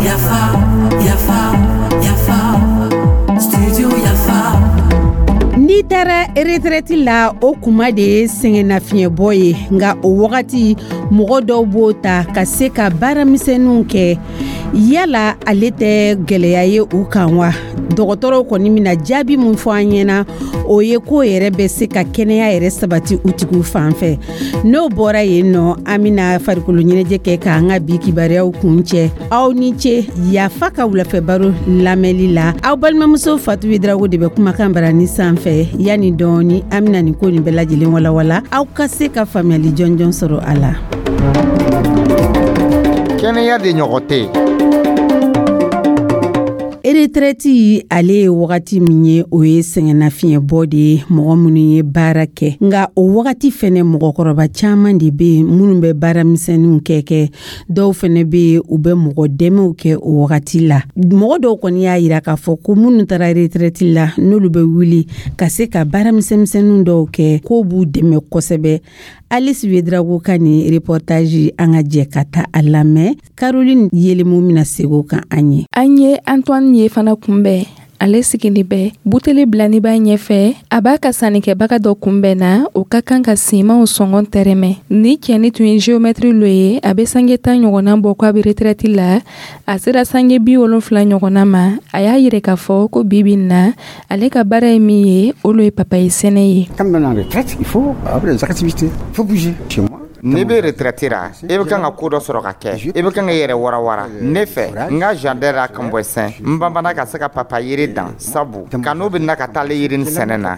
Yafa, yafa, yafa, studio Yafa. N'i taara retraite la, o kuma de ye sɛgɛnnafiɲɛbɔ ye. Nka o wagati, mɔgɔ dɔw b'o ta ka se ka baaramisɛnninw kɛ. Yala ale tɛ gɛlɛya ye u kan wa? Dɔgɔtɔrɔw kɔni bɛna jaabi min fɔ an ɲɛna, o ye ko yɛrɛ bɛ se ka kɛnɛya yɛrɛ sabati u tigiw fan fɛ. N'o bɔra yen nɔ, an bɛna farikolo ɲɛnajɛ kɛ k'an ka bi kibaruyaw kun cɛ. Aw ni ce Yafa ka wulafɛ baro lamɛnli la. Aw balimamuso Fatu Ouédraogo de bɛ kumakan barani sanfɛ. Yanni dɔɔni, an bɛna nin ko nin bɛɛ lajɛlen walawala, aw ka se ka faamuyali jɔnjɔn sɔrɔ a la. Kɛnɛya de ɲɔgɔn tɛ yen. Retraite, ale ye wagati min ye, o ye sɛgɛnnafiɲɛbɔ de ye mɔgɔ minnu ye baara kɛ. Nka o wagati fɛnɛ, mɔgɔkɔrɔba caman de bɛ yen minnu bɛ baaramisɛnninw kɛ. Dɔw fɛnɛ bɛ yen, u bɛ mɔgɔ dɛmɛw kɛ o wagati la. Mɔgɔ dɔw kɔni y'a yira k'a fɔ ko minnu taara retraite la, n'olu bɛ wuli ka se ka baaramisɛnmisɛnninw dɔw kɛ, k'o b'u dɛmɛ kosɛbɛ. Alice Ouédraogo ka nin reportage, an ka jɛ ka taa a lamɛn. Caroline Yelemu bɛna segin o kan an ye. An ye Antoine ye fana kunbɛn. Ale sigini bɛ buteli bilani b'a ɲɛfɛ. A b'a ka sannikɛbaga dɔ kunbɛn na, o ka kan ka simanw sɔngɔ tɛrɛmɛ. Ni cɛni tun ye géomètre lo ye, a bɛ sange 10 ɲɔgɔnna bɔ ko a bɛ retraite la. A sera sange 70 ɲɔgɔnna ma. A y'a yira k'a fɔ ko bibi na, ale ka baara ye min ye, o lo ye papaye sɛnɛ ye. Quand on est en retraite, il faut avoir des activités, il faut bouger. Chez moi, N'i bɛ retraite ra, i bɛ kan ka ko dɔ sɔrɔ ka kɛ, i bɛ kan ka i yɛrɛ warawara. Ne fɛ, n ka jardin ra Kanbɔsɛn, n banbana ka se ka papaye yiri dan, sabu kanu bɛ na ka taa ale yiri sɛnɛ na.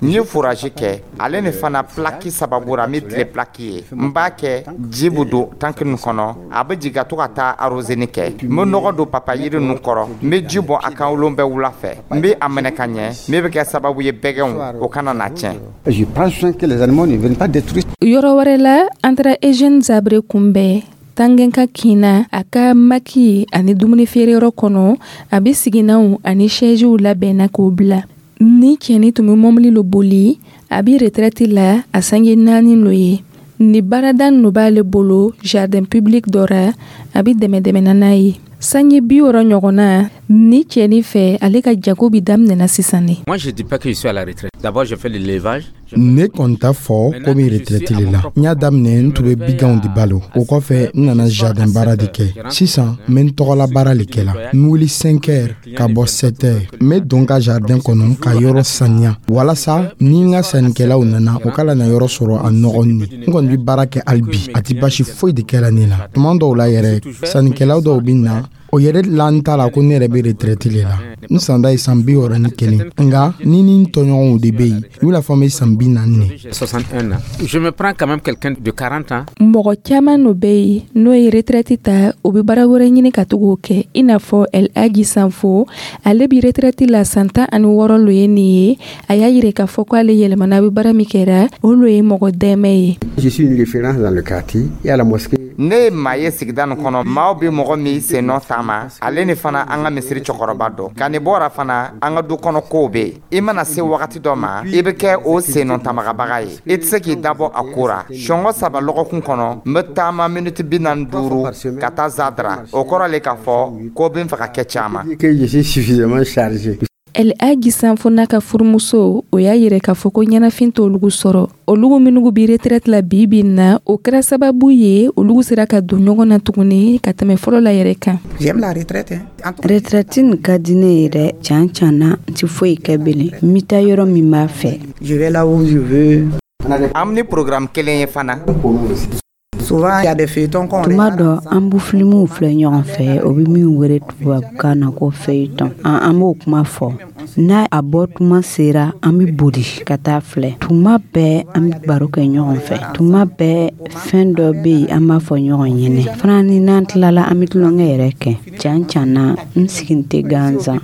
N ye forage kɛ ale ni fana plaque sababu ra. N bɛ tile plaque ye, n b'a kɛ, ji bɛ don tanki nin kɔnɔ, a bɛ jigin ka to ka taa arroseni kɛ. N bɛ nɔgɔ don papaye yiri ninnu kɔrɔ, n bɛ ji bɔn a kan wolon bɛɛ wula fɛ. N bɛ a minɛ ka ɲɛ, min bɛ kɛ sababu ye bɛgɛnw o kana na tiɲɛ. Je prends soin que les animaux ne viennent pas détruire. Yɔrɔ wɛrɛ la, an taara Eugène Zabre kunbɛn Tangɛnka kinna, a ka maki ani dumuni feereyɔrɔ kɔnɔ. A bɛ siginanw ani sɛziw labɛnna k'o bila. Ni cɛni tun bɛ mɔbili lo boli, a bɛ retraite la a sange 4 lo ye. Ni baarada ninnu b'ale bolo jardin public dɔ ra, a bɛ dɛmɛ dɛmɛna n'a ye. Sange 60 ɲɔgɔnna, ni cɛni fɛ, ale ka jago bi daminɛna sisan ne. Moi, je dis pas que je suis à la retraite. D'abord, je fais l'élevage. Ne kɔni t'a fɔ ko min retraite le la. N y'a daminɛ, n tun bɛ biganw de balo. O kɔfɛ, n nana jardin baara de kɛ. Sisan, n bɛ n tɔgɔla baara le kɛ la. N bɛ wuli 5 heures ka bɔ 7 heures. N bɛ don ka jardin kɔnɔ ka yɔrɔ saniya, walasa ni n ka sannikɛlaw nana, o kana na yɔrɔ sɔrɔ a nɔgɔnin. N kɔni bɛ baara kɛ hali bi, a tɛ basi foyi de kɛra ne la. Tuma dɔw la yɛrɛ, sannikɛlaw dɔw bɛ na, o yɛrɛ la n t'a la ko ne yɛrɛ bɛ retraite le la. N san da ye san 61, nka ni n tɔɲɔgɔnw de bɛ yen, i bɛna fɔ n bɛ san 40 ne. 61 ans. Je me prends quand même quelqu'un de 40 ans. Mɔgɔ caman no bɛ yen n'o ye retraite ta, o bɛ baara wɛrɛ ɲini ka to k'o kɛ, i n'a fɔ El Hadji Sanfo. Ale bɛ retraite la san 16 lo ye nin ye. A y'a yira k'a fɔ k'ale yɛlɛmana, a bɛ baara min kɛra, o lo ye mɔgɔ dɛmɛ ye. Je suis une référence dans le quartier et à la mosquée. Ne ye maa ye sigida nin kɔnɔ, maaw bɛ mɔgɔ min sen nɔ taama. Ale ni fana, an ka misiri cɛkɔrɔba dɔ ka nin bɔra fana, an ka du kɔnɔ kow bɛ yen. I mana se wagati dɔ ma, i bɛ kɛ o sennɔ tamagabaga ye, i tɛ se k'i dabɔ a ko ra. Sɔngɔ 3 lɔgɔkun kɔnɔ, n bɛ taama miniti 45 ka taa Zadara. O kɔrɔ le k'a fɔ ko bɛ n fɛ ka kɛ caman. Que je suis suffisamment chargé. El Hadji Sanfo n'a ka furumuso, o y'a yira k'a fɔ ko ɲɛnafin t'olugu sɔrɔ. Olugu minnu bi retraite la bi bi na, o kɛra sababu ye olugu sera ka don ɲɔgɔn na tuguni ka tɛmɛ fɔlɔ la yɛrɛ kan. J'aime la retraite, hein. Retraite nin ka di ne ye dɛ. Can can na, n ti foyi kɛ bilen. N bɛ taa yɔrɔ min b'a fɛ. Je vais là où je veux. An ni programme kelen ye fana. Souvent, il y a des feuilletons qu'on Tuma dɔ, an bɛ filimuw filɛ ɲɔgɔn fɛ, o bɛ min wele tubabukan na ko feuilleton. An b'o kuma fɔ. N'a a bɔ tuma sera, an bɛ boli ka taa filɛ. Tuma bɛɛ, an bɛ baro kɛ ɲɔgɔn fɛ. Tuma bɛɛ, fɛn dɔ bɛ yen, an b'a fɔ ɲɔgɔn ɲɛnɛ fana. Ni n'an tilala, an bɛ tulonkɛ yɛrɛ kɛ. Can can na, n sigi tɛ gansan.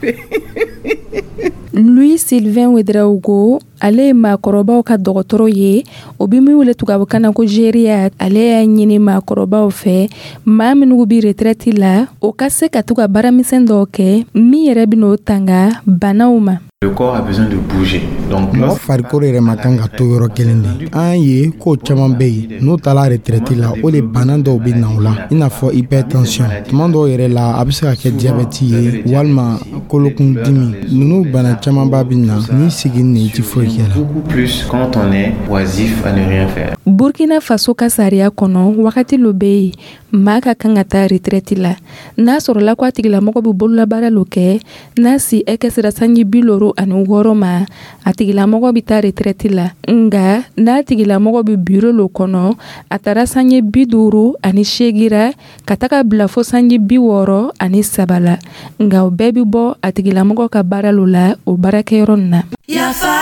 Louis Sylvain Ouédraogo, ale ye maakɔrɔbaw ka dɔgɔtɔrɔ ye, o bɛ min wele tubabukan na ko gériatre. Ale y'a ɲini maakɔrɔbaw fɛ, maa minnu bɛ retraite la, o ka se ka to ka baaramisɛn dɔw kɛ min yɛrɛ bɛ n'o tanga banaw ma. Le corps a besoin de bouger. Donc, Mɔgɔ farikolo yɛrɛ ma kan ka to yɔrɔ kelen de. An ye ko caman bɛ yen, n'u taara retraite la, o de bana dɔw bɛ na u la, i n'a fɔ hypertension. Tuma dɔw yɛrɛ la, a bɛ se ka kɛ diabète ye walima kolokundimi. Ninnu bana camanba bɛ na n'i segin i tɛ foyi kɛ la. Beaucoup plus quand on est oisif à ne rien faire. Burkina Faso ka sariya kɔnɔ, wagati lo bɛ yen maa ka kan ka taa retraite la, n'a sɔrɔla ko a tigilamɔgɔ bɛ bololabaara lo kɛ. N'a si hakɛ sera sanji 56 ma, a tigilamɔgɔ bɛ taa retraite la. Nga n'a tigilamɔgɔ bɛ biro lo kɔnɔ, a taara sanji 58 ra ka taga bila fo sanji 63 la. Nka o bɛɛ bɛ bɔ a tigilamɔgɔ ka baara lo la o baarakɛyɔrɔ nin na. Yafa,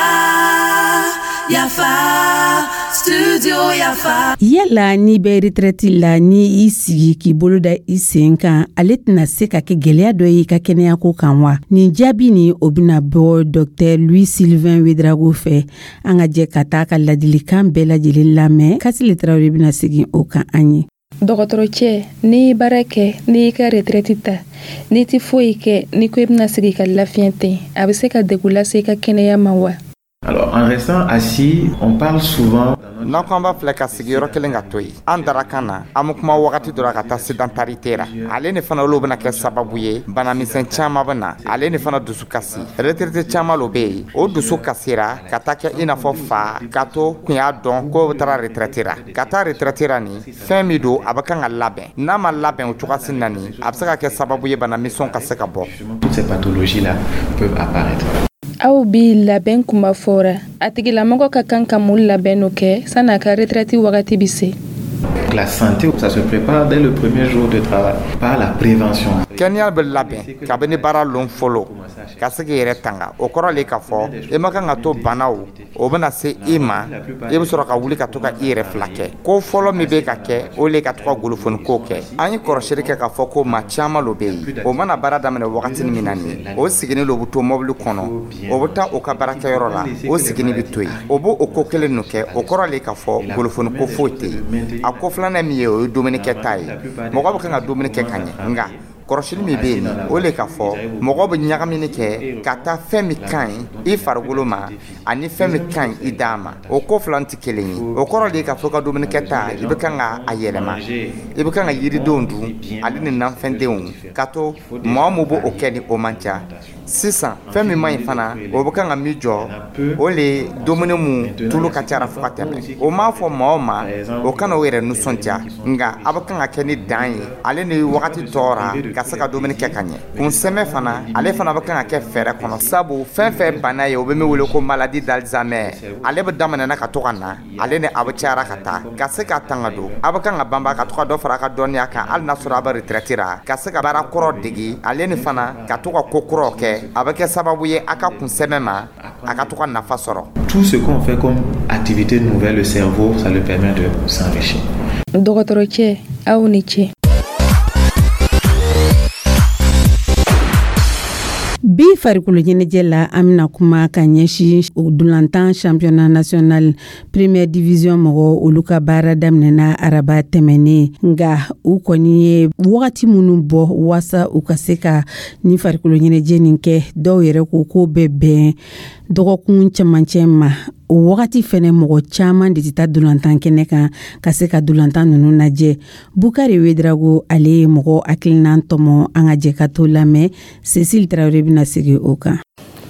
Yafa, Studio Yafa. Yala n'i bɛ retraite la, ni i sigi k'i bolo da i sen kan, ale tɛna se ka kɛ gwɛlɛya dɔ ye i ka kɛnɛyako kan wa? Nin jaabi ni o bɛna bɔ Dr Louis Sylvain Ouédraogo fɛ. An ka jɛ ka taa ka ladilikan bɛɛ lajɛlen lamɛn. Kasile Tarawele bɛna segin o kan an ye. Dɔgɔtɔrɔcɛ, n'i ye baara kɛ, n'i y'i ka retraite ta, n'i tɛ foyi kɛ, n'i ko i bɛna sigi ka lafiɲɛ ten, a bɛ se ka degun lase i ka kɛnɛya ma wa? Alors, en restant assis, on parle souvent. N'an ko an b'a filɛ ka sigi yɔrɔ kelen ka to yen, an dara kan na, an bɛ kuma wagati dɔ la ka taa sédentarité ra. Ale ni fana, olu bɛna kɛ sababu ye banamisɛn caman bɛ na, ale ni fana dusu kasi. Retraité caman lo bɛ yen, o dusu kasira ka taa kɛ i n'a fɔ fa ka to kun y'a dɔn k'o bɛ taara retraite ra. Ka taa retraite ra, nin fɛn min don, a bɛ kan ka labɛn. N'a ma labɛn o cogoya na nin, a bɛ se ka kɛ sababu ye banamisɛnw ka se ka bɔ. Toutes ces pathologies-là peuvent apparaître. Aw bi labɛn kuma fɔra, a tigilamɔgɔ ka kan ka mun labɛn no kɛ san'a ka retraite wagati bi se? La santé, ça se prépare dès le premier jour de travail par la prévention. Kɛnɛya bɛ labɛn kabini baara lon fɔlɔ ka se k'i yɛrɛ tanga. O kɔrɔ le k'a fɔ i ma kan ka to banaw o bɛna se i ma, i bɛ sɔrɔ ka wuli ka to ka i yɛrɛ fila kɛ. Ko fɔlɔ min bɛ ka kɛ, o le ka to ka golofoni ko kɛ. An ye kɔrɔsili kɛ k'a fɔ ko maa caman lo bɛ yen, o mana baara daminɛ wagati min na, nin o siginin lo bɛ to mɔbili kɔnɔ, o bɛ taa o ka baarakɛyɔrɔ la, o siginin bɛ to yen, o b'o o ko kelen ninnu kɛ. O kɔrɔ le k'a fɔ golofoni ko foyi tɛ yen. A ko filanan min ye, o ye dumunikɛta ye. Mɔgɔ bɛ kan ka dumuni kɛ ka ɲɛ, nka kɔrɔsili min bɛ yen, o le k'a fɔ mɔgɔ bɛ ɲagamini kɛ ka taa fɛn min ka ɲi i farikolo ma ani fɛn min ka ɲi i da ma, o ko fila tɛ kelen ye. O kɔrɔ de ye k'a fɔ ka dumunikɛta, i bɛ kan ka a yɛlɛma, i bɛ kan ka yiridenw dun ale ni nafɛndenw, ka to mɔgɔ min b'o kɛ ni o man ca. Sisan, fɛn min man ɲi fana, o bɛ kan ka min jɔ, o le ye dumuni mun tulu ka ca fo ka tɛmɛ. O m'a fɔ maa o ma o kana o yɛrɛ nisɔndiya, nka a bɛ kan ka kɛ ni dan ye, ale ni wagati tɔɔra ka se ka dumuni kɛ ka ɲɛ. Kunsɛmɛ fana, ale fana bɛ kan ka kɛ fɛɛrɛ kɔnɔ, sabu fɛn fɛn bana ye, o bɛ min wele ko maladie d'Alzheimer, ale bɛ daminɛ ka to ka na, ale ni a bɛ cayara ka taa. Ka se ka tanga don, a bɛ kan ka banba ka to ka dɔ fara a ka dɔnniya kan, hali n'a sɔrɔ a bɛ retraite ra, ka se ka baara kɔrɔ degi, ale ni fana ka to ka ko kuraw kɛ. A bɛ kɛ sababu ye a ka kunsɛmɛ ma, a ka to ka nafa sɔrɔ. Tout ce qu'on fait comme activité nouvelle, le cerveau, ça lui permet de s'enrichir. Dɔgɔtɔrɔcɛ, aw ni ce. Bi farikolo ɲɛnajɛ la, an bɛna kuma ka ɲɛsin dolantan championnat national première division mɔgɔ, olu ka baara daminɛna araba tɛmɛnen. Nka u kɔni ye wagati minnu bɔ waasa u ka se ka ni farikolo ɲɛnajɛ nin kɛ, dɔw yɛrɛ ko k'o bɛ bɛn dɔgɔkun cɛmancɛ ma. O wagati fɛnɛ, mɔgɔ caman de tɛ taa dolantan kɛnɛ kan ka se ka dolantan ninnu lajɛ. Bukari Ouédraogo, ale ye mɔgɔ hakilinan tɔmɔ. An ka jɛ ka to lamɛn. Cécile Tarawele bɛna segin o kan.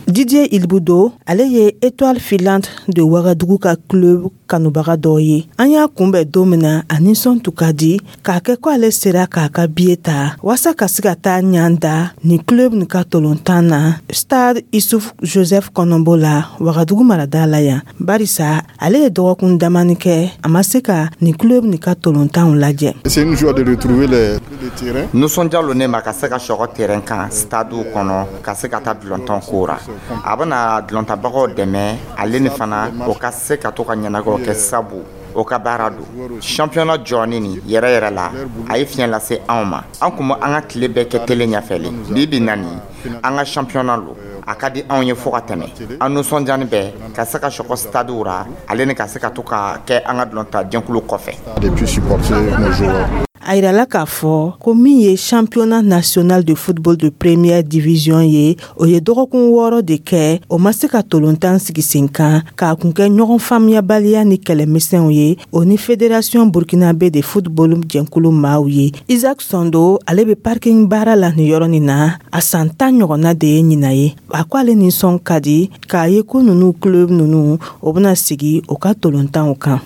Didier Ilbudo, ale ye Étoile filante de Ouagadougou ka club kanubaga dɔ ye. An y'a kunbɛn don min na, a nisɔn tun ka di k'a kɛ ko ale sera k'a ka billet ta waasa ka se ka taa ɲan da nin club nin ka tolontan na stade Issouf Joseph Kɔnɔnbo la, Wagadugu marada la yan, barisa ale ye dɔgɔkun damani kɛ, a ma se ka nin club nin ka tolontanw lajɛ. C'est une joie de retrouver les terrains. Nisɔndiya lo ne ma ka se ka sɔgɔ terrain kan stade kɔnɔ, ka se ka taa dulɔntan ko ra. A bɛna dulɔntabagaw dɛmɛ, ale ni fana o ka se ka to ka ɲɛnagɛw kɛ, sabu o ka baara don. Championnat jɔni nin yɛrɛ yɛrɛ la, a ye fiɲɛ lase anw ma. An kun bɛ an ka tile bɛɛ kɛ télé ɲɛfɛ le. Bi bi na nin, an ka championnat lo, a ka di anw ye fo ka tɛmɛ. An nisɔndiyani bɛɛ ka se ka sɔgɔ stade ra, ale ni ka se ka to ka kɛ an ka dulɔnta jɛkulu kɔfɛ. Et puis supporter nos joueurs. A yirala k'a fɔ ko min ye championnat national de football de première division ye, o ye dɔgɔkun 6 de kɛ o ma se ka tolontan sigi sen kan, k'a kun kɛ ɲɔgɔn faamuyabaliya ni kɛlɛmisɛnw ye o ni fédération burkinabé de football jɛnkulu maaw ye. Isaac Sondo, ale bɛ parking baara la nin yɔrɔ nin na, a san 10 ɲɔgɔnna de ye ɲinan ye. A ko ale nisɔn ka di k'a ye ko ninnu club ninnu o bɛna sigi o ka tolontanw kan.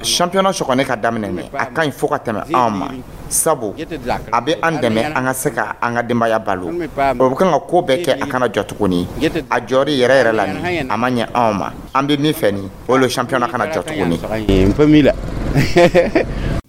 Championnat sɔgɔnne ka daminɛ nin, a ka ɲi fo ka tɛmɛ anw ma, sabu a bɛ an dɛmɛ an ka se ka an ka denbaya balo. O bɛ kan ka ko bɛɛ kɛ a kana jɔ tuguni. A jɔri yɛrɛ yɛrɛ la nin, a ma ɲɛ anw ma. An bɛ min fɛ nin, o le championnat kana jɔ tuguni.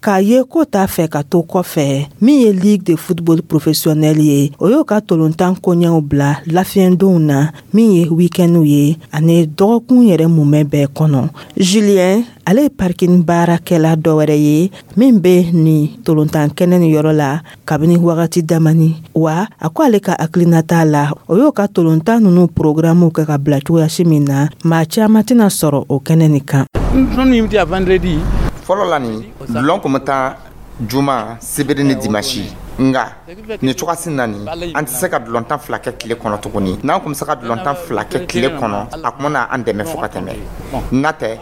K'a ye ko t'a fɛ ka to kɔfɛ, min ye ligue de football professionnel ye, o y'o ka tolontan koɲɛw bila lafiyɛndonw na, min ye week-endw ye ani dɔgɔkun yɛrɛ mumɛ bɛɛ kɔnɔ. Julien, ale ye parking baarakɛla dɔ wɛrɛ ye min bɛ nin tolontan kɛnɛ ni yɔrɔ la kabini wagati damani wa. A ko ale ka hakilinata la, o y'o ka tolontan ninnu programmew kɛ ka bila cogoyasi min na, maa caman tɛna sɔrɔ o kɛnɛ nin kan. Fɔlɔ la nin, dulon kun bɛ taa juma, sibiri ni dimasi. Nka nin cogoyasi na nin, an tɛ se ka dulontan 2 kɛ tile kɔnɔ tuguni. N'an kun bɛ se ka dulontan 2 kɛ tile kɔnɔ, a kun bɛna an dɛmɛ fo ka tɛmɛ. N'a tɛ,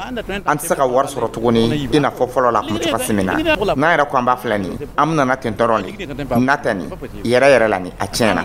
an tɛ se ka wari sɔrɔ tuguni i n'a fɔ fɔlɔ la a kun bɛ cogoyasi min na. N'an yɛrɛ ko an b'a filɛ nin, an bɛna ten dɔrɔn de. N'a tɛ nin yɛrɛ yɛrɛ la nin, a tiɲɛna.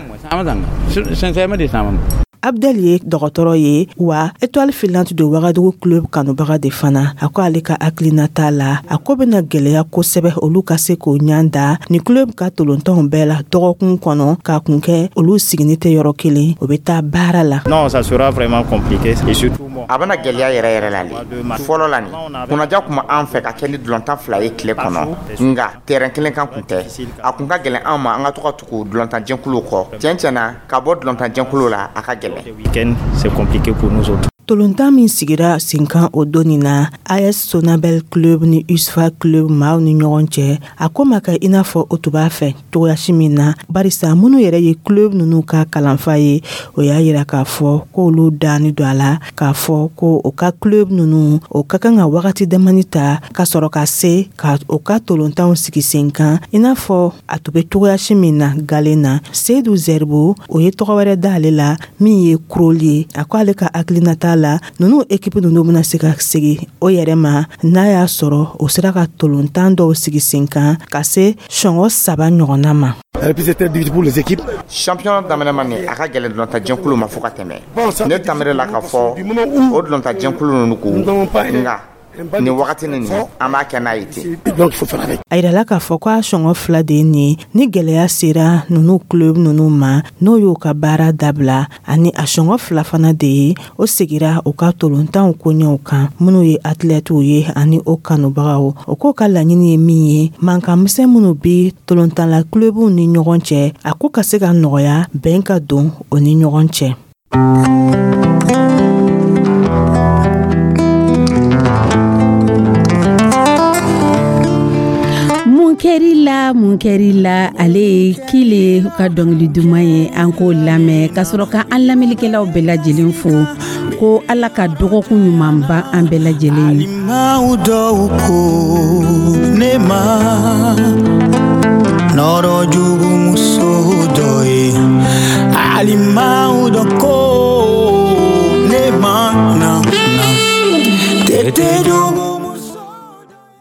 Abdel ye dɔgɔtɔrɔ ye wa Étoile filante de Wagadugu club kanubaga de fana. A ko ale ka hakilinata la, a ko bɛna gɛlɛya kosɛbɛ olu ka se k'o ɲan da ni club ka tolontanw bɛɛ la dɔgɔkun kɔnɔ, k'a kun kɛ olu sigini tɛ yɔrɔ kelen, o bɛ taa baara la. Non, ça sera vraiment compliqué et surtout A bɛna gɛlɛya yɛrɛ yɛrɛ la le. Fɔlɔ la nin, kunnaja kun bɛ an fɛ ka kɛ ni dulontan 2 ye tile kɔnɔ, nka terrain kelen kan kun tɛ. A kun ka gɛlɛn an ma an ka to ka tugu dulontanjɛkuluw kɔ. Tiɲɛ tiɲɛ na, ka bɔ dulontanjɛkulu la, a ka gɛlɛn. Week-end, c'est compliqué pour nous autres. Tolontan min sigira sen kan o don nin na, AS Sonabel Club ni USFA Club maaw ni ɲɔgɔn cɛ, a ko ma kɛ i n'a fɔ o tun b'a fɛ cogoyasi min na, barisa minnu yɛrɛ ye club ninnu ka kalanfa ye, o y'a yira k'a fɔ k'olu danni don a la k'a fɔ ko o ka club ninnu o ka kan ka wagati damani ta ka sɔrɔ ka se ka o ka tolontanw sigi sen kan i n'a fɔ a tun bɛ cogoyasi min na galen na. Seyidu Zɛribo, o ye tɔgɔ wɛrɛ d'ale la min ye Kuroli ye. A ko ale ka hakilinata la, ninnu ekipu ninnu bɛna se ka segin o yɛrɛ ma n'a y'a sɔrɔ o sera ka tolontan dɔw sigi sen kan ka se sɔngɔ 3 ɲɔgɔnna ma. Championnat daminɛ ma nin, a ka gɛlɛn dulontanjɛkulu ma fo ka tɛmɛ. Ne tamere la k'a fɔ o dulontanjɛkulu ninnu ko, nka nin wagati nin, an b'a kɛ n'a ye ten. A yirala k'a fɔ k'a sɔngɔ 2 de ye nin ni gɛlɛya sera ninnu club ninnu ma, n'o y'o ka baara dabila, ani a sɔngɔ 2 fana de ye o segira u ka tolontanw koɲɛw kan. Minnu ye athlètew ye ani o kanubagaw, o k'o ka laɲini ye min ye, mankan misɛn minnu bɛ tolontanla clubw ni ɲɔgɔn cɛ, a ko ka se ka nɔgɔya, bɛn ka don o ni ɲɔgɔn cɛ. Mun kɛr'i la, ale ye Kile ka dɔnkili duman ye, an k'o lamɛn ka sɔrɔ ka an lamɛnnikɛlaw bɛɛ lajɛlen fo ko Ala ka dɔgɔkun ɲuman ban an bɛɛ lajɛlen ye. Alimaw dɔw ko ne ma.